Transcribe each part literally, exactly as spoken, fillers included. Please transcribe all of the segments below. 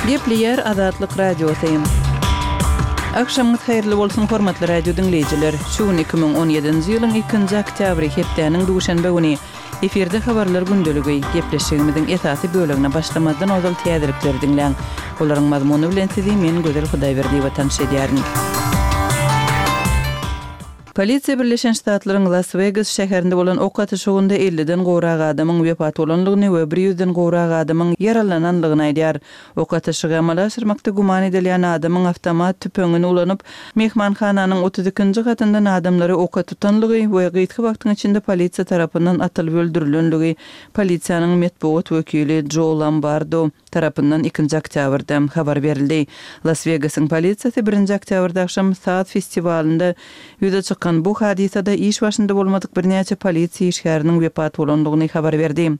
Gepleýär Azatlyk Radiosy. Agşamyňyz haýyrly bolsun, hormatly radio diňleýjiler! Şu gün iki müň on ýedinji ýylyň ikinji oktýabry, hepdäniň duşenbe güni. Efirde Habarlar gündeligi. Gepleşigimiziň esasy bölegine başlamazdan ozal täzelikleri diňläň. Olaryň mazmuny bilen sizi men Gözel Hudaýberdiýewa tanyş edýärin. Polisiýa Birleşen Ştatlaryň Las-Wegas şäherinde bolan ok atyşygynda elliden gowrak adamyň wepat bolandygyny we bir ýüzden gowrak adamyň ýaralanandygyny aýdýar. Ok atyşygy amala aşyrmakda güman edilýän adamyň awtomat tüpeňini ulanyp, myhmanhananyň otuz ikinji gatyndan adamlary oka tutanlygy we gysga wagtyň içinde polisiýa tarapyndan atylyp öldürilenligi polisiýanyň metbugat wekili Jo Lombardo tarapyndan ikinji oktýabrda habar berildi. Las-Wegasyň polisiýasy birinji oktýabrda agşam saz festiwalynda ýüze çykan bu hadysada iş başynda bolmadyk birnäçe polisiýa işgäriniň wepat bolandygyny habar berdi.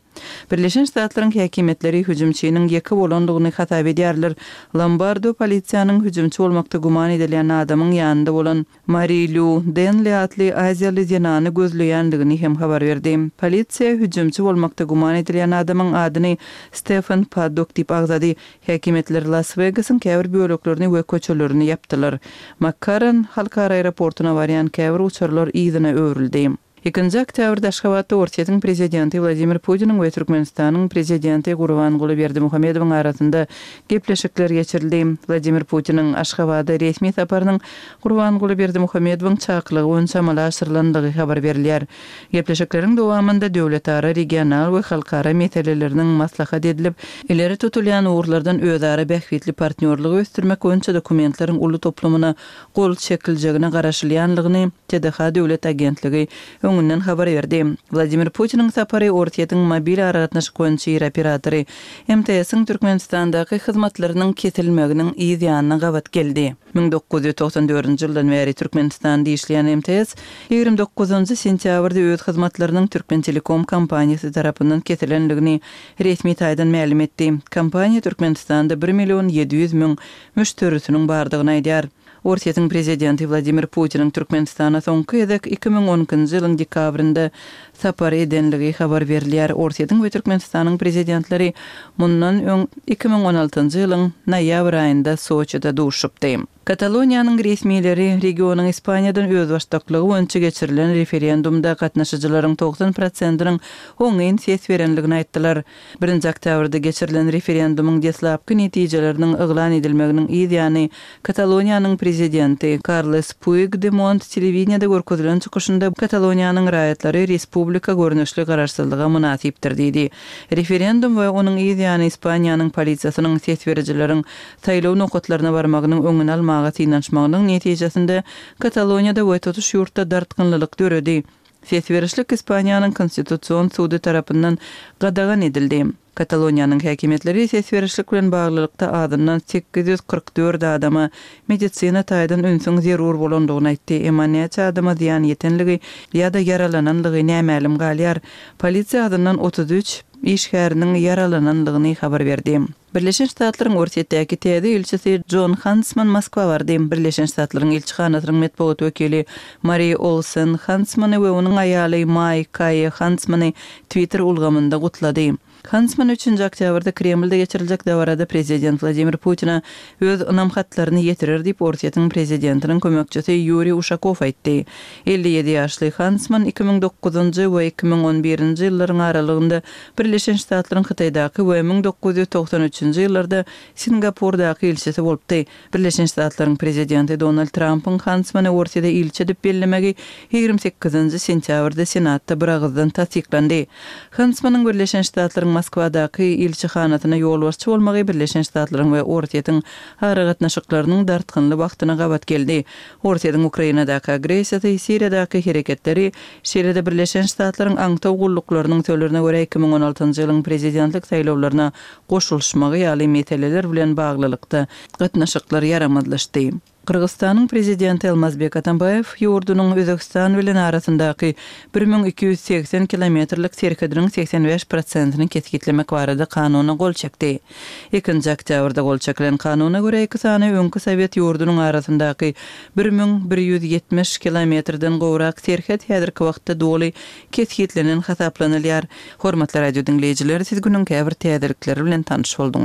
Birleşen Ştatlaryň häkimiýetleri hüjümçiniň ýeke bolandygyny hasap edýärler. Lombardo polisiýanyň hüjümçi bolmakda güman edilýän adamyň ýanynda bolan Mari Lýu Denli atly aziýaly zenany gözleýändigini hem habar berdi. Polisiýa hüjümçi bolmakda güman edilýän adamyň adyny Stefan Paddok diýip agzady. Häkimiýetler Las-Wegasyň käbir böleklerini we köçelerini ýapdylar. Makkarran halkara aeroportuna barýan käbir uçarlar yzyna öwrüldi. Ikinji oktýabrda Aşgabatda Orsýetiň prezidenti Wladimir Putiniň we Türkmenistanyň prezidenti Gurbanguly Berdimuhamedowyň arasynda gepleşikler geçirildi. Wladimir Putiniň Aşgabada resmi saparynyň Gurbanguly Berdimuhamedowyň çakylygy boýunça amala aşyrylandygy habar berilýär. Gepleşikleriň dowamynda döwletara, regional we halkara meseleleriniň maslahat edilip, ileri tutulýan ugurlardan özara bähbitli partnýorlygy ösdürmek boýunça dokumentleriň uly toplumyna gol çekiljegine garaşylýanlygyny T D H döwlet agentligi öňünden habar berdi. Wladimir Putiniň sapary Orsýetiň mobil aragatnaşyk boýunça iri operatory M T S-iň Türkmenistandaky hyzmatlarynyň kesilmeginiň yz ýanyna gabat geldi. Müň dokuz ýüz togsan dördünji ýyldan bäri Türkmenistanda işleýän M T S ýigrimi dokuzynjy sentýabrda öz hyzmatlarynyň Türkmentelekom kompaniýasy tarapyndan kesilendigini resmi taýdan mälim etdi. Kompaniýa Türkmenistanda bir million ýedi ýüz müň müşderisiniň bardygyny aýdýar. Orsýetiň prezidenti Wladimir Putiniň Türkmenistana soňky gezek iki müň on ikinji ýylyň dekabrynda sapar edenligi habar berilýär. Orsýetiň we Türkmenistanyň prezidentleri mundan öň iki müň on altynjy ýylyň noýabr aýynda Soçide duşupdy. Kataloniýanyň resmileri regionyň Ispaniýadan özbaşdaklygy boýunça geçirilen referendumda gatnaşyjylaryň togsan prosentiniň oňyn ses berenligini aýtdylar. Birinji oktýabrda geçirilen referendumyň deslapky netijeleriniň yglan edilmeginiň yz ýany Kataloniýanyň prezidenti Karles Puigdemont telewideniýede görkezilen çykyşynda Kataloniýanyň raýatlary respublika görnüşli garaşsyzlyga mynasypdyr diýdi. Referendum we onuň yz ýany Ispaniýanyň polisiýasynyň ses berijileriň saýlaw nokatlaryna barmagynyň öňüni almaga synanyşmagynyň netijesinde Kataloniýada we tutuş ýurtda dartgynlylyk döredi. Ses berişlik Ispaniýanyň konstitusion sudy tarapyndan gadagan edildi. Kataloniýanyň häkimiýetleri ses berişlik bilen baglylykda azyndan sekiz ýüz kyrk dört adama medisina taýdan ünsüň zerur bolandygyny aýtdy. Emma näçe adama zyýan ýetenligi ýa-da ýaralananlygy nämälim galýar. Polisiýa azyndan otuz üç işgäriniň ýaralananlygyny habar berdi. Birleşen Ştatlaryň Orsýetdäki täze ilçisi Jon Huntsman Moskwa bardy. Birleşen Ştatlaryň ilçihanasynyň metbugat wekili Mari Olsen Huntsmany we onuň aýaly Maý Kaýe Huntsmany Twitter ulgamynda gutlady. Huntsman üçünji oktýabrda Kremlde geçiriljek dabarada prezident Wladimir Putina öz ynam hatlaryny ýetirer diýip Orsýetiň prezidentiniň kömekçisi Ýuriý Uşakow aýtdy. Elli ýedi ýaşly Huntsman iki müň dokuzynjy we iki müň on birinji ýyllaryň aralygynda Birleşen Ştatlaryň Hytaýdaky we müň dokuz ýüz togsan üçünji ýyllarda Singapurdaky ilçisi bolupdy. Birleşen Ştatlaryň prezidenti Donald Trumpyň Huntsmany Orsýete ilçi edip bellemegi ýigrimi sekizinji sentýabrda Senatda bir agyzdan tassyklandy. Huntsmanyň Birleşen Ştatlaryň Moskwadaky ilçihanasyna ýolbaşçy bolmagy Birleşen Ştatlaryň we Orsýetiň aragatnaşyklarynyň dartgynly wagtyna gabat geldi. Orsýetiň Ukrainadaky agressiýasy, Siriýadaky hereketleri, şeýle-de Birleşen Ştatlaryň aňtaw gulluklarynyň sözlerine görä iki müň on altynjy ýylyň prezidentlik saýlawlaryna goşulyşmagy ýaly meseleler bilen baglylykda gatnaşyklar ýaramazlaşdy. Gyrgyzystanyň prezidenti Almazbek Atambaýew ýurdunyň Özbegistan bilen arasyndaky bir müň iki ýüz segsen kilometrlik serhediniň segsen bäş prosentini kesgitlemek barada kanuna gol çekdi. Ikinji oktýabrda gol çekilen kanuna görä iki sany öňki sowet ýurdunyň arasyndaky bir müň bir ýüz ýetmiş kilometrden gowrak serhet häzirki wagtda doly kesgitlenen hasaplanylýar. Hormatly radio diňleýjiler, siz günüň käbir täzelikleri bilen tanyş bolduňyz.